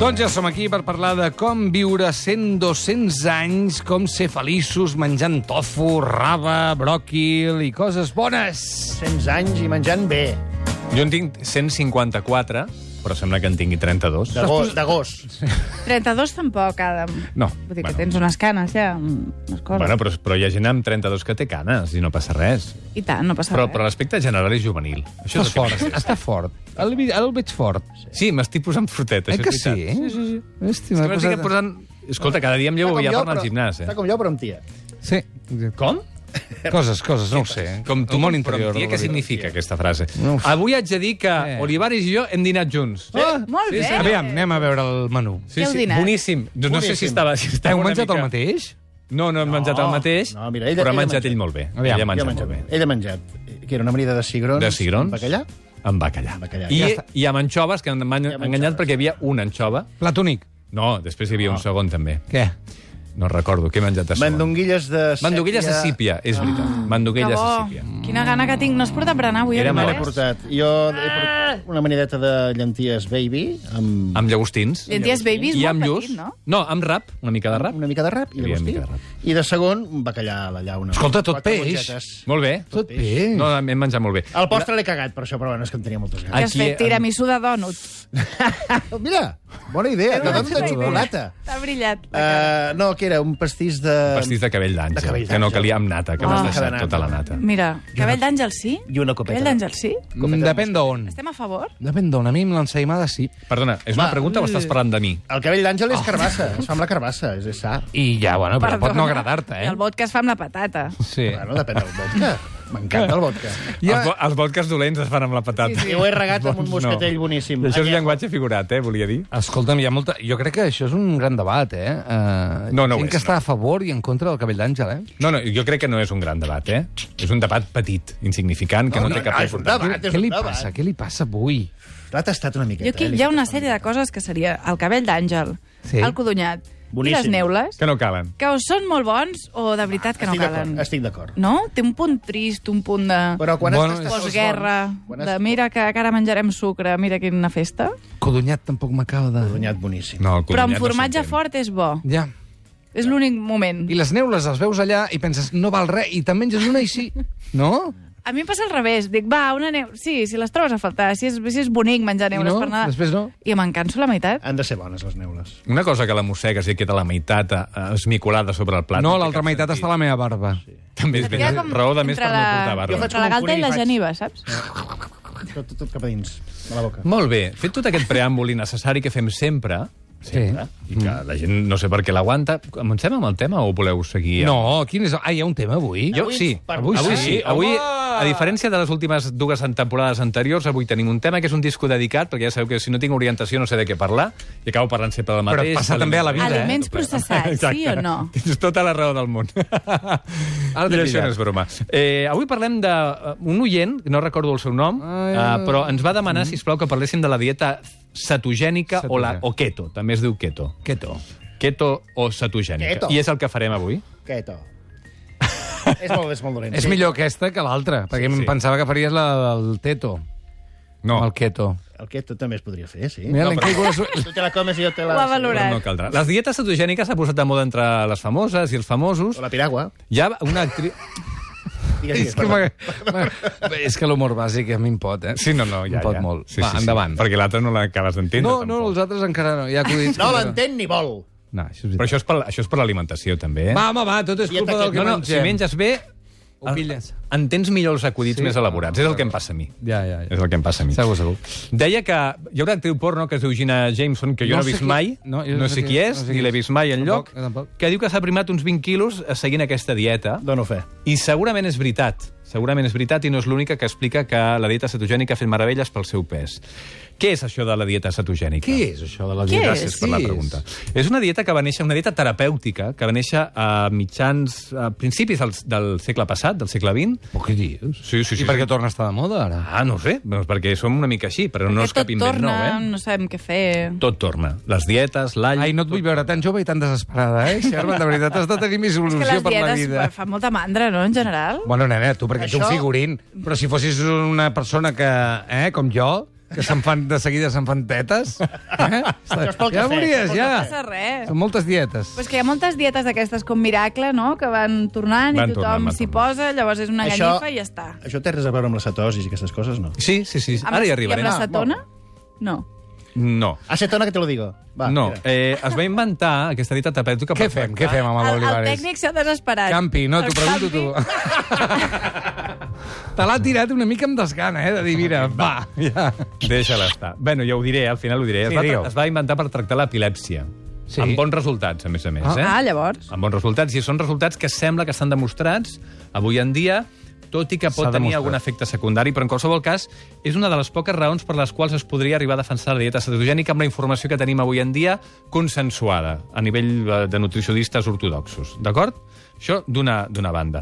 Doncs ja som aquí per parlar de com viure 100-200 anys, com ser feliços menjant tofu, raba, bròquil i coses bones. 100 anys i menjant bé. Jo en tinc 154, però sembla que en tingui 32. De gos. 32 tampoc, Adam. No. Vull dir que tens unes canes, ja, unes coses. Bueno, però hi ha gent amb 32 que té canes i no passa res. I tant, no passa Però res. l'aspecte general és juvenil. Això Estàs fort, està fort. El veig fort. Sí, m'estic posant frutet, això Que és sí? veritat. Sí. Hosti, És m'he que m'estic posat... posant... Escolta, cada dia em llevo ja per anar al gimnàs, Està com jo, però amb tia. Sí. Com? Coses, no ho sé. Com tu, el món però interior. tia, què significa aquesta frase? No ho sé. Avui haig de dir que Olivares i jo hem dinat junts. Molt bé. Aviam, anem a veure el menú. Què heu dinat? Boníssim. No sé si estava Heu una menjat mica... el mateix? No hem menjat el mateix, No, mira, ella però ha ha menjat menjat. ell molt bé. Aviam, Ella ha Jo he menjat molt bé. menjat. Ell ha menjat. Que era una amanida de cigrons. De cigrons? Amb bacallà. Amb bacallà. Amb bacallà. I, Ja està. I amb anxoves, que m'han enganyat perquè hi havia una anxova. Plat únic. No, després hi havia un segon també. Què? No recordo, què he menjat de segon? Mandonguilles de sèpia. Mandonguilles de sípia, és veritat. Mandonguilles de Que sípia. bo. Quina gana que tinc. No has portat berenar avui? Era a Me l'he molt Olivares? portat. Jo he portat una manideta de llenties baby amb Amb llagostins. Llenties baby és I molt amb lluç. petit, no? No, amb rap, una mica de rap. una mica de rap i Hi havia llagostí. mica de rap. I de segon, un bacallà a la llauna. Escolta, tot 4 peix. mongetes. Molt bé. Tot bé. No, hem menjat molt bé. El postre l'he cagat, per això, però bueno, és que en tenia moltes Què ganes. has fet? Tiramisú de dònut. Mira, bona idea, de dònut de xocolata. T'ha brillat. la cara. No, que era un pastís de... Pastís de cabell De d'àngel, cabell que no d'àngel. calia amb nata, que Ah. m'has De deixat nata. tota la nata. Mira, cabell d'àngel sí? I una copeta. Cabell d'àngel sí? Depèn d'on. Estem a favor? Depèn d'on. A mi amb l'ensaïmada sí. Perdona, és una Va. pregunta o estàs parlant de mi? El cabell d'àngel és carbassa, es fa amb la carbassa, és sa. I ja, bueno, però pot no Perdona. agradar-te, I el vodka es fa amb la patata. Sí. Bueno, depèn del vodka. M'encanta el vodka. Els vodkas dolents es fan amb la patata. Sí, I ho he regat amb un Bons moscatell boníssim. I això és Añejo. llenguatge figurat, volia dir. Escolta'm, hi ha molta... Jo crec que això és un gran debat, No, no ho Gent és, que està no. a favor i en contra del cabell d'àngel, No, jo crec que no és un gran debat, És un debat petit, insignificant, que no, té cap és un importància. debat. Què li passa? Què li passa avui? L'ha tastat una miqueta. Jo aquí hi ha una sèrie de coses que seria el cabell d'àngel, Sí. el codonyat i Boníssim. les neules, Que no calen. que o són molt bons o de veritat que no calen. Estic d'acord. No? Té un punt trist, un punt de Però quan Bueno, has tastat els postguerra, bons, quan has de mira que ara menjarem sucre, mira quina festa. Codonyat tampoc m'acaba de... Codonyat boníssim. No, el Però amb codonyat no formatge s'entén. fort és bo. Ja. És l'únic moment. I les neules les veus allà i penses, no val res, i te'n menges una i sí. No? A mi em passa al revés. Dic, va, una neula... Sí, si les trobes a faltar, si és bonic menjar I neules no? per Nadal. Després no? I me'n canso la meitat. Han de ser bones, les neules. Una cosa que la mossegues i queda la meitat esmicolada sobre el plat. No, té l'altra cap meitat sentit. està a la meva barba. També és Et ben queda com raó de més entre per no portar barba. Jo faig Entre la com un galta i la conill, faig. geniva, saps? Tot cap a dins, de la boca. Molt bé, fet tot aquest preàmbul innecessari que fem sempre, Sí. i que la gent no sé per què l'aguanta, comencem amb el tema o voleu seguir? No, quin és... Ah, hi ha un tema avui? Jo, sí, avui sí. Avui, a diferència de les últimes dues temporades anteriors, avui tenim un tema que és un disco dedicat, perquè ja sabeu que si no tinc orientació no sé de què parlar, i acabo parlant sempre del Però mateix. passa també a la vida, Aliments processats, sí o no? Tens tota la raó del món. Ara I t'he això pillat. no és broma. Avui parlem d'un oient, no recordo el seu nom, però ens va demanar, sisplau, que parléssim de la dieta cetogènica o keto. També es diu keto. Keto. Keto o cetogènica. Keto. I és el que farem avui. Quieto. és molt dolent. És millor aquesta que l'altra, perquè em sí. pensava que faries la del teto. No, El keto. El keto també es podria fer, sí. Mira, No, l'hem però- caigut... Tu te la comes i jo te la... Ho ha però valorat. no caldrà. Les dietes cetogèniques s'ha posat de moda entre les famoses i els famosos. O la piragua. Hi ha una actriu... Digues, És que, és que l'humor bàsic a mi em pot, Sí, no, ja. Em pot molt. Sí, Va, sí, sí. endavant. Perquè l'altre no l'acabes d'entendre. No, tampoc. els altres encara no. Hi ha acudits... No que- l'entén ni vol. No, això és Però veritat. això és per l'alimentació, també, Va, home, va, tot és Dieta culpa del que No, no, mengem. si menges bé, Ho pilles. entens millor els acudits Sí? més elaborats. És el que em passa a mi. Ja. És el que em passa a mi. Segur, segur. Deia que hi ha una actriu porno que es diu Gina Jameson, que jo no he sé vist qui- mai, no, jo no sé qui és, ni l'he vist mai enlloc, Tampoc. que diu que s'ha primat uns 20 quilos seguint aquesta dieta, Dono fe. i segurament és veritat. Segurament és veritat i no és l'única que explica que la dieta cetogènica ha fet meravelles pel seu pes. Què és això de la dieta cetogènica? Què és això de la Què dieta? Gràcies per la Què és? pregunta. És una dieta que va néixer, una dieta terapèutica, que va néixer a principis del segle passat, del segle XX. Però què dius? Sí, sí, sí. I per què torna a estar de moda, ara? Ah, no ho sé, doncs perquè som una mica així, però no és Perquè cap tot invent torna, nou, no sabem què fer. Tot torna. Les dietes, l'all... Ai, no et vull veure tan jove i tan desesperada, Sherman? De veritat, has de tenir més És que il·lusió les per la dietes vida. fan molta mandra, no, en general? Bueno, nena, tu perquè ets un Això- figurín, però si fossis una persona que, com jo, que de seguida se'n fan tetes. Això és pel Ja cafè. veuries, No ja. passa res. Són moltes dietes. Però és que hi ha moltes dietes d'aquestes com Miracle, no?, que van tornant Van i tothom tornant. s'hi posa, llavors és una ganyifa i ja està. Això té res a veure amb la cetosi i aquestes coses, no? Sí. Ara hi arribarem. I amb l'acetona? No. No. Acetona, que te lo digo. Va, No, mira. es va inventar aquesta dieta terapèutica... Què fem amb El l'Olivares? tècnic s'ha desesperat. Campi, no, t'ho El pregunto Campi- tu. Te l'ha tirat una mica amb desgana, de dir, mira, va, ja. Deixa-la estar. Bueno, ja ho diré, al final ho diré. Sí, digue-ho. Es va inventar per tractar l'epilèpsia. Sí. Amb bons resultats, a més. Ah, llavors. Amb bons resultats, i són resultats que sembla que estan demostrats avui en dia, tot i que pot S'ha tenir demostrat. algun efecte secundari, però en qualsevol cas és una de les poques raons per les quals es podria arribar a defensar la dieta cetogènica amb la informació que tenim avui en dia consensuada a nivell de nutricionistes ortodoxos. D'acord? Això d'una banda.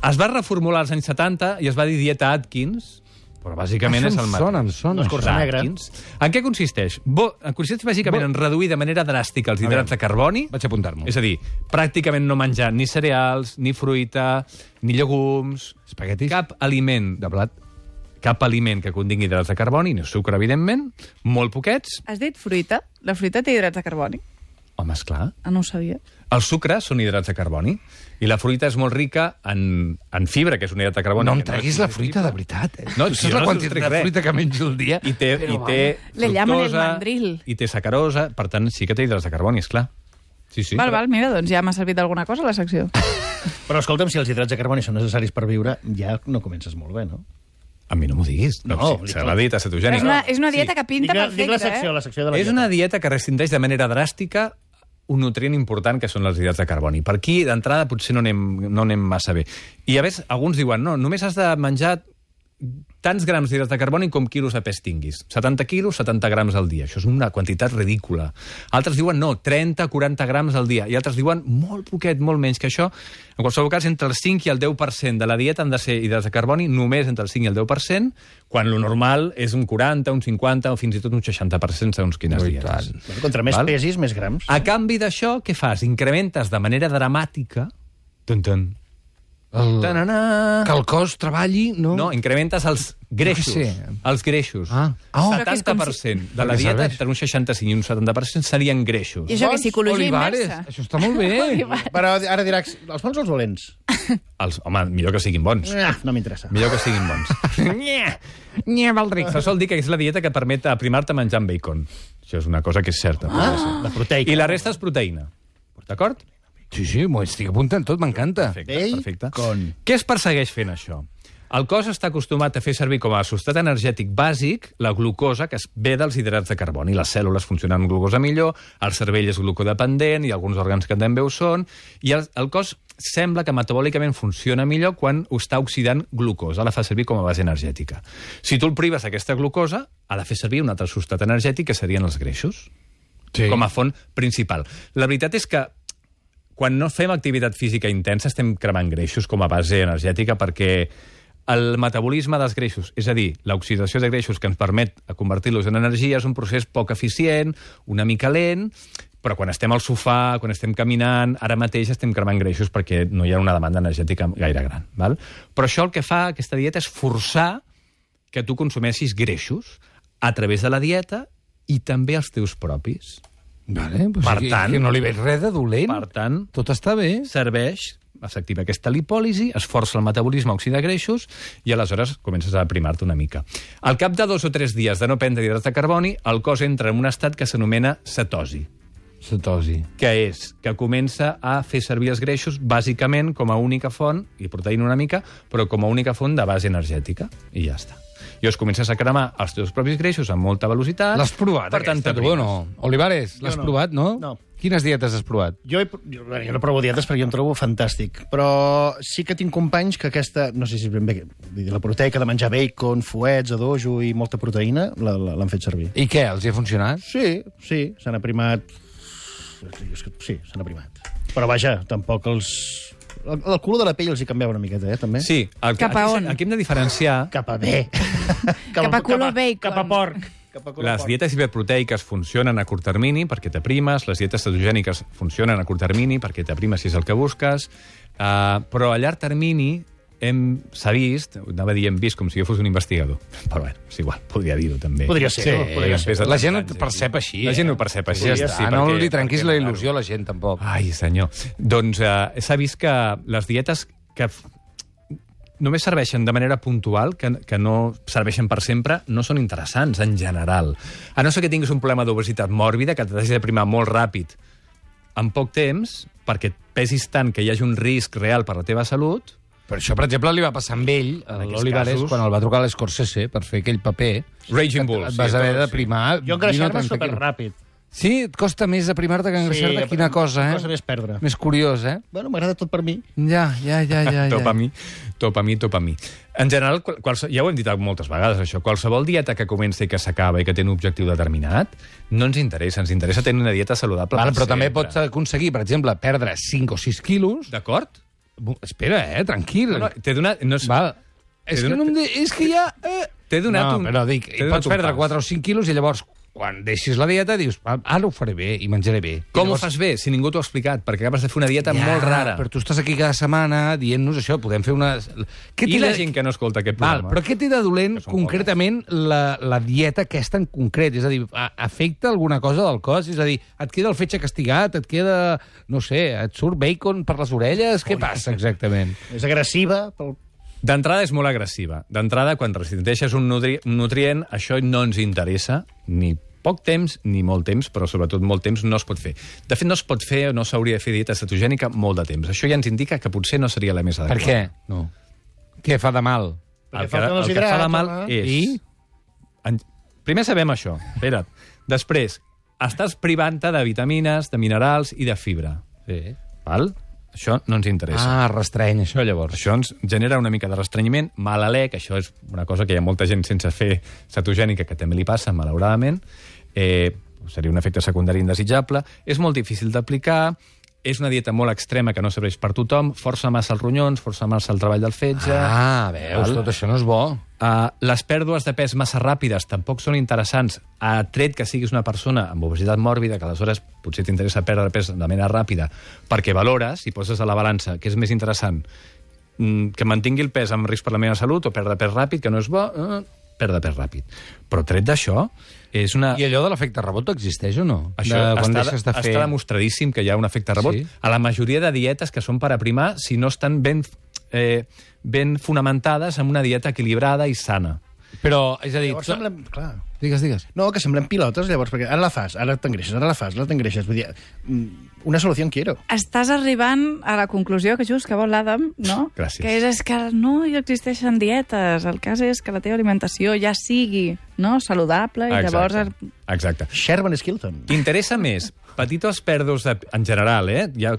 Es va reformular als anys 70 i es va dir dieta Atkins, però bàsicament és el mateix. Em sona. L'escorça negra. Atkins. En què consisteix? Consisteix bàsicament en reduir de manera dràstica els hidrats de carboni. Vaig apuntar-m'ho. És a dir, pràcticament no menjar ni cereals, ni fruita, ni llegums... Espaguetis? Cap aliment de blat, cap aliment que contingui hidrats de carboni, ni sucre, evidentment, molt poquets. Has dit fruita? La fruita té hidrats de carboni? Home, esclar. Ah, no ho sabia. El sucre són hidrats de carboni i la fruita és molt rica en fibra, que és un hidrat de carboni. No em que treguis és la fruita, de veritat. No, tu si saps jo la no quantitat sostrec de res. fruita que menjo al dia? I té Le llaman el fructosa, mandril. i té sacarosa, per tant, sí que té hidrats de carboni, esclar. Sí. Val, mira, doncs ja m'ha servit d'alguna cosa la secció. Però escolta'm, si els hidrats de carboni són necessaris per viure, ja no comences molt bé, no? A mi no m'ho diguis. No, Sí, serà la dieta cetogènica. És una dieta que pinta Dic la perfecta, secció, la secció de la És dieta. una dieta que restringeix de manera dràstica un nutrient important que són els hidrats de carboni. Per aquí, d'entrada, potser no anem massa bé. I a més, alguns diuen, no, només has de menjar tants grams d'hidrats de carboni com quilos de pes tinguis. 70 quilos, 70 grams al dia. Això és una quantitat ridícula. Altres diuen, no, 30, 40 grams al dia. I altres diuen, molt poquet, molt menys que això. En qualsevol cas, entre el 5 i el 10% de la dieta han de ser hidrats de carboni, només entre el 5 i el 10%, quan lo normal és un 40, un 50 o fins i tot un 60% segons quines dietes. Bueno, contra més Val? pesis, més grams. A canvi d'això, què fas? Incrementes de manera dramàtica... Que el cos treballi, no? No, incrementes els greixos. Jo què sé. Els greixos. Ah. Oh. Però que és com 70% de Per la què dieta, serveix? entre un 65 i un 70% serien greixos. I això que és psicologia Olivares, inversa. això està molt bé. Però ara diràs, els bons o els dolents? Home, millor que siguin bons. No m'interessa. Millor que siguin bons. Nye, Valdric. Se sol dir que és la dieta que permet aprimar-te menjant bacon. Això és una cosa que és certa. La proteica. I la resta és proteïna. D'acord? Sí, m'ho estic apuntant tot, m'encanta. Perfecte. Bacon. Què es persegueix fent això? El cos està acostumat a fer servir com a substrat energètic bàsic la glucosa, que es ve dels hidrats de carboni. Les cèl·lules funcionen amb glucosa millor, el cervell és glucodependent i alguns òrgans que també ho són, i el cos sembla que metabòlicament funciona millor quan ho està oxidant glucosa, la fa servir com a base energètica. Si tu el prives d'aquesta glucosa, ha de fer servir un altre substrat energètic, que serien els greixos, com a font principal. La veritat és que quan no fem activitat física intensa estem cremant greixos com a base energètica perquè el metabolisme dels greixos, és a dir, l'oxidació de greixos que ens permet convertir-los en energia, és un procés poc eficient, una mica lent, però quan estem al sofà, quan estem caminant, ara mateix estem cremant greixos perquè no hi ha una demanda energètica gaire gran. Val? Però això el que fa, aquesta dieta, és forçar que tu consumeixis greixos a través de la dieta i també els teus propis. Vale, pues Per que, tant- que no li veig res de dolent. Per tant, Tot està bé. serveix, s'activa aquesta lipòlisi, es força el metabolisme a oxidar greixos i aleshores comences a aprimar-te una mica. Al cap de 2 o 3 dies de no prendre hidrats de carboni, el cos entra en un estat que s'anomena cetosi, Cetosi. que és que comença a fer servir els greixos bàsicament com a única font, i proteïna una mica, però com a única font de base energètica, i ja està. I llavors comences a cremar els teus propis greixos amb molta velocitat. L'has provat, per tant, aquesta, tu, o t'aprimes. no? Olivares, l'has no. provat, no? No. Quines dietes has provat? Jo no provo dietes perquè jo em trobo fantàstic, però sí que tinc companys que aquesta, no sé si ben bé, la proteica de menjar bacon, fuets, adojo i molta proteïna, l'han fet servir. I què, els hi ha funcionat? Sí, s'han aprimat... Sí, s'han aprimat. Però vaja, tampoc els... El color de la pell els hi canviava una miqueta, també? Sí, Cap a on? aquí hem de diferenciar Cap a bé. Cap a color bacon. Cap a porc. Cap a color les porc. dietes hiperproteiques funcionen a curt termini perquè t'aprimes, les dietes cetogèniques funcionen a curt termini perquè t'aprimes si és el que busques, però a llarg termini s'ha vist, anava a dir hem vist com si jo fos un investigador, però bueno, és igual, podria dir-ho també. Podria ser, no? Podria ser. La gent ho percep així. La gent ho percep així. Ja està, no li trenquis la il·lusió a la gent, tampoc. Ai, senyor. Doncs s'ha vist que les dietes que només serveixen de manera puntual, que no serveixen per sempre, no són interessants, en general. A no ser que tinguis un problema d'obesitat mòrbida, que t'hagi de primar molt ràpid, en poc temps, perquè et pesis tant que hi hagi un risc real per la teva salut. Per això, per exemple, li va passar amb ell, a l'Olivares, quan el va trucar a l'Scorsese per fer aquell paper. Raging Bull. Et vas haver de primar... Jo engreixar-me superràpid. Sí, et costa més aprimar-te que engreixar-te. Quina cosa, eh? Cosa més perdre. Més curiós, eh? Bueno, m'agrada tot per mi. Ja. Top a mi. En general, ja ho hem dit moltes vegades, això, qualsevol dieta que comença i que s'acaba i que té un objectiu determinat, no ens interessa. Ens interessa tenir una dieta saludable. Però també pots aconseguir, per exemple, perdre 5 o 6 quilos. D'acord? Espera, tranquil. No, t'he donat... No és... Val. És que ja... T'he donat però dic, pots perdre 4 o 5 quilos i llavors, quan deixis la dieta, dius, ara ho faré bé i menjaré bé. Com ho fas bé, si ningú t'ho ha explicat? Perquè acabes de fer una dieta molt rara. Però tu estàs aquí cada setmana dient-nos això, podem fer una... I la gent que no escolta aquest programa? Però què té de dolent, concretament, la dieta aquesta en concret? És a dir, afecta alguna cosa del cos? És a dir, et queda el fetge castigat, et queda, no sé, et surt bacon per les orelles? Què passa exactament? És agressiva pel... D'entrada és molt agressiva. D'entrada, quan restringeixes un nutrient, això no ens interessa, ni poc temps ni molt temps, però sobretot molt temps no es pot fer. De fet, no es pot fer o no s'hauria de fer dieta cetogènica molt de temps. Això ja ens indica que potser no seria la més adequada. Per què? No. Què fa de mal? El que fa de mal és... Primer sabem això. Espera't. Després, estàs privant-te de vitamines, de minerals i de fibra. Sí. Val? Això no ens interessa. Restreny, això, llavors. Això ens genera una mica de restrenyiment, mal alè, que això és una cosa que hi ha molta gent sense fer cetogènica que també li passa, malauradament. Seria un efecte secundari indesitjable. És molt difícil d'aplicar, és una dieta molt extrema que no serveix per tothom, força massa els ronyons, força massa el treball del fetge... Veus, tot això no és bo. Les pèrdues de pes massa ràpides tampoc són interessants, tret que siguis una persona amb obesitat mòrbida, que aleshores potser t'interessa perdre pes de manera ràpida, perquè valores i poses a la balança que és més interessant que mantingui el pes amb risc per la meva salut o perdre pes ràpid, que no és bo, perdre pes ràpid. Però tret d'això, és una... I allò de l'efecte rebot existeix o no? Això està demostradíssim que hi ha un efecte rebot. Sí? A la majoria de dietes que són per aprimar, si no estan ben fonamentades en una dieta equilibrada i sana. Però, és a dir... Llavors semblem... Clar. Digues. No, que semblem pilotes, llavors, perquè ara la fas, ara t'engreixes, ara la fas, ara t'engreixes. Vull dir, una solució en quiero. Estàs arribant a la conclusió que just que vol l'Adam, no? Gràcies. Que és que no hi existeixen dietes. El cas és que la teva alimentació ja sigui saludable i llavors... Exacte. Sherman Skilton. T'interessa més petites pèrdues en general, hi ha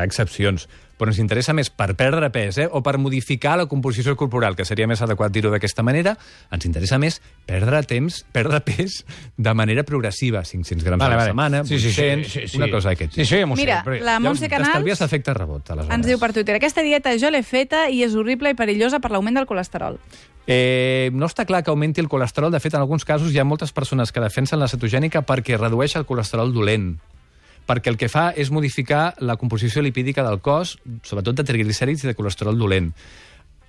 excepcions, però ens interessa més per perdre pes o per modificar la composició corporal, que seria més adequat dir-ho d'aquesta manera, ens interessa més perdre pes de manera progressiva, 500 grams a la setmana, 800, una cosa d'aquest. Sí, ja m'ho sé. Mira, la Montse Canals t'estalvies efecte rebot, aleshores. ens diu per Twitter: aquesta dieta jo l'he feta i és horrible i perillosa per l'augment del colesterol. No està clar que augmenti el colesterol. De fet, en alguns casos hi ha moltes persones que defensen la cetogènica perquè redueix el colesterol dolent, perquè el que fa és modificar la composició lipídica del cos, sobretot de triglicèrids i de colesterol dolent.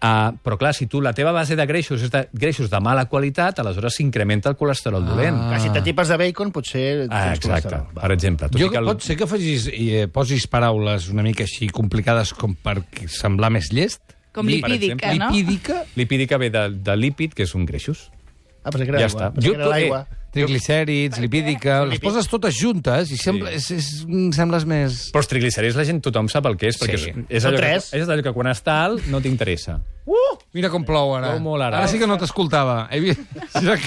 Però clar, si tu la teva base de greixos és de greixos de mala qualitat, aleshores s'incrementa el colesterol dolent. Si t'atipes de bacon, potser... Exacte, per exemple. Pot ser que posis paraules una mica així complicades com per semblar més llest? Com lipídica, no? Lipídica ve de lípid, que són greixos. Però que era l'aigua. Triglicèrids, lipídica... Les poses totes juntes i sembles més... Però els triglicèrids tothom sap el que és, perquè és allò que quan està alt no t'interessa. Mira com plou ara. Ara sí que no t'escoltava. He vist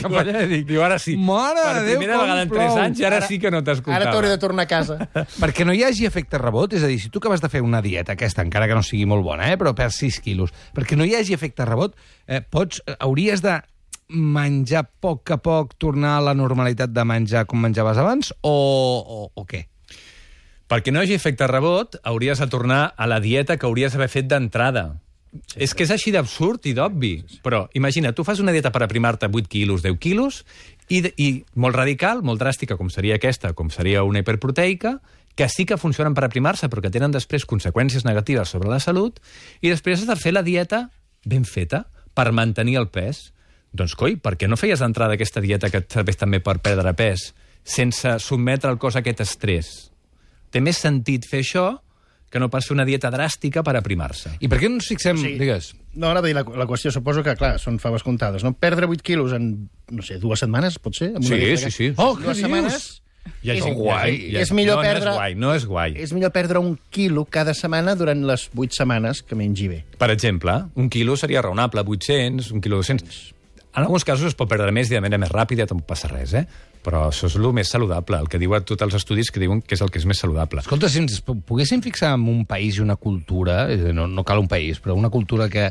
cap allà i dic... Diu, ara sí. Mare de Déu, com plou. Per primera vegada en 3 anys i ara sí que no t'escoltava. Ara t'hauré de tornar a casa. Perquè no hi hagi efecte rebot, és a dir, si tu acabes de fer una dieta aquesta, encara que no sigui molt bona, però per 6 quilos, perquè no hi hagi efecte rebot, hauries de menjar a poc, tornar a la normalitat de menjar com menjaves abans, o què? Perquè no hi hagi efecte rebot, hauries de tornar a la dieta que hauries d'haver fet d'entrada. És que és així d'absurd i d'obvi. Però imagina, tu fas una dieta per aprimar-te 8 quilos, 10 quilos, i molt radical, molt dràstica, com seria aquesta, com seria una hiperproteica, que sí que funcionen per aprimar-se, però que tenen després conseqüències negatives sobre la salut, i després has de fer la dieta ben feta per mantenir el pes. Doncs, coi, per què no feies d'entrada aquesta dieta que et serveix també per perdre pes sense sotmetre el cos a aquest estrès? Té més sentit fer això que no pas fer una dieta dràstica per aprimar-se. I per què no ens fixem... Sí. Digues. No, anava a dir, la qüestió, suposo que, clar, són faves comptades, no? Perdre 8 quilos en, no sé, 2 setmanes, pot ser? Amb una dieta Sí. Oh, què 2 setmanes... dius? Ja és gent- guai. ja És gent- millor no, perdre... No és guai. És millor perdre 1 quilo cada setmana durant les 8 setmanes que mengi bé. Per exemple, 1 quilo seria raonable, 800, 1 quilo 200... En alguns casos es pot perdre més i de manera més ràpida, tampoc passa res, Però això és el més saludable, el que diuen tots els estudis que diuen que és el que és més saludable. Escolta, si ens poguéssim fixar en un país i una cultura, no cal un país, però una cultura que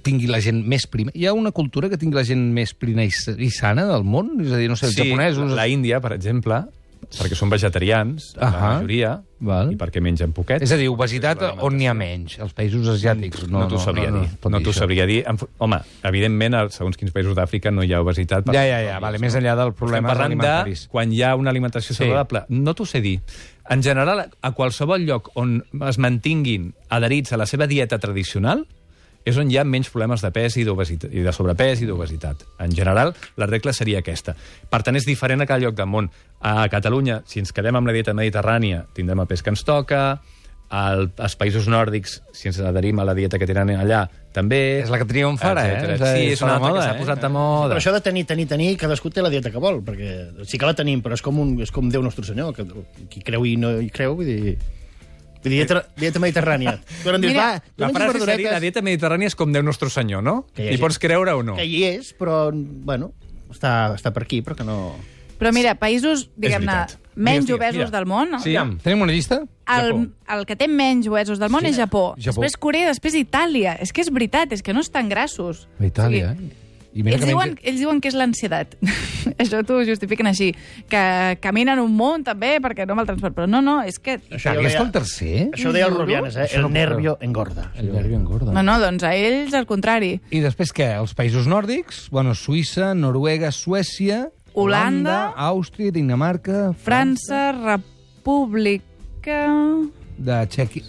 tingui la gent més prima... Hi ha una cultura que tingui la gent més prima i sana del món? És a dir, no sé, els japonesos... la Índia, per exemple, perquè són vegetarians, la majoria, Val. i perquè mengen poquet. És a dir, obesitat on n'hi ha menys? Els països asiàtics? No t'ho sabria dir. No t'ho sabria dir. Home, evidentment, segons quins països d'Àfrica no hi ha obesitat. Ja, vale, més enllà del problema Estem parlant alimentaris. de quan hi ha una alimentació saludable. No t'ho sé dir. En general, a qualsevol lloc on es mantinguin adherits a la seva dieta tradicional, és on hi ha menys problemes de pes i de sobrepès i d'obesitat. En general, la regla seria aquesta. Per tant, és diferent a cada lloc del món. A Catalunya, si ens quedem amb la dieta mediterrània, tindrem el pes que ens toca. Als països nòrdics, si ens adherim a la dieta que tenen allà, també. És la que triomfa ara, Sí, és una altra que s'ha posat de moda. Però això de tenir, cadascú té la dieta que vol, perquè sí que la tenim, però és com Déu Nostre Senyor, que qui creu i no hi creu, vull dir, dieta mediterrània. Tu em dius, Mira, tu La menges frase verduretes, seria, la dieta mediterrània és com Déu Nostre Senyor, no? Que hi ha Hi gent- pots creure o no? que hi és, però, bueno, està per aquí, però que no... Però mira, països, diguem-ne, veritat. menys Digues, obesos mira. del món, Sí, Tenim una llista? el que té menys obesos del món és Japó. Japó. Després Corea, després Itàlia. És que és veritat, és que no estan grassos. Itàlia, I mira Ells diuen que és l'ansietat. Això t'ho justifiquen així. Que caminen un munt, també, perquè no amb el transport. Però no, és que... Itàlia està el tercer? Això ho deia el Rubianes, Això no el puc nervio engorda. El nervi engorda. No, doncs a ells al contrari. I després què? Els països nòrdics? Bueno, Suïssa, Noruega, Suècia... Holanda, Àustria, Dinamarca... França, República... de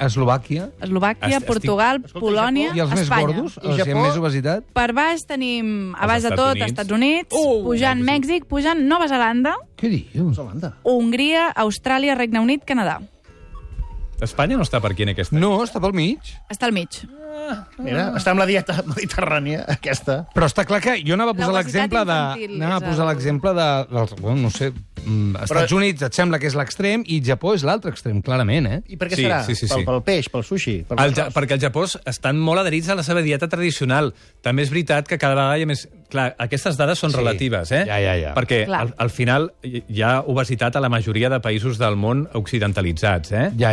Eslovàquia. Eslovàquia, Estic- Portugal, Escolta, Polònia, I els més Espanya. gordos? I Els que Japó? amb més obesitat? Per baix tenim, a baix de Estats tot, Units. Estats Units, pujant Mèxic, pujant Nova Zelanda, Què dius? Holanda. Hongria, Austràlia, Regne Unit, Canadà. Espanya no està per aquí en aquesta. No, està pel mig. Està al mig. Mira, està amb la dieta mediterrània, aquesta. Però està clar que jo anava a posar L'obesitat l'exemple de... infantil Anava a és posar el- l'exemple de... Bueno, no sé, Estats Units et sembla que és l'extrem i Japó és l'altre extrem, clarament, I per què Sí, serà? sí. Pel peix, pel sushi? Perquè el Japó estan molt adherits a la seva dieta tradicional. També és veritat que cada vegada hi ha més... Clar, aquestes dades són Sí. relatives, Ja. Perquè Clar. al final hi ha obesitat a la majoria de països del món occidentalitzats, Ja.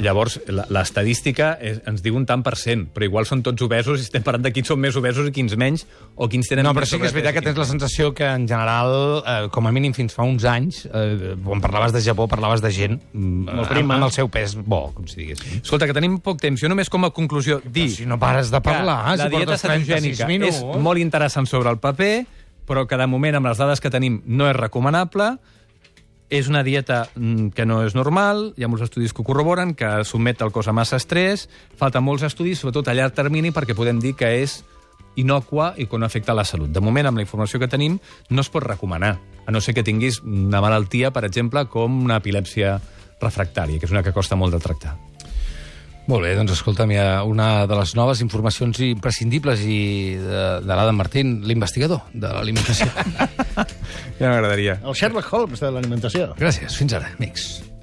Llavors, l'estadística ens diu un tant per cent, però igual són tots obesos i estem parlant de quins són més obesos i quins menys, o quins tenen No, però més sí que és veritat que sobrepès i tens la quins sensació que, en general, com a mínim fins fa uns anys, quan parlaves de Japó, parlaves de gent prima. amb el seu pes bo, com si diguéssim. menys. Escolta, que tenim poc temps. Jo només com a conclusió dir... Si no pares de parlar, que la si dieta portes 36 cetogènica minuts... és molt interessant sobre el paper, però que de moment, amb les dades que tenim, no és recomanable. És una dieta que no és normal, hi ha molts estudis que ho corroboren, que sotmet el cos a massa estrès, falten molts estudis, sobretot a llarg termini, perquè podem dir que és innòcua i que no afecta la salut. De moment, amb la informació que tenim, no es pot recomanar, a no ser que tinguis una malaltia, per exemple, com una epilèpsia refractària, que és una que costa molt de tractar. Molt bé, doncs escolta'm, hi ha una de les noves informacions imprescindibles de l'Adam Martín, l'investigador de l'alimentació. Ja m'agradaria. El Sherlock Holmes de l'alimentació. Gràcies, fins ara, amics.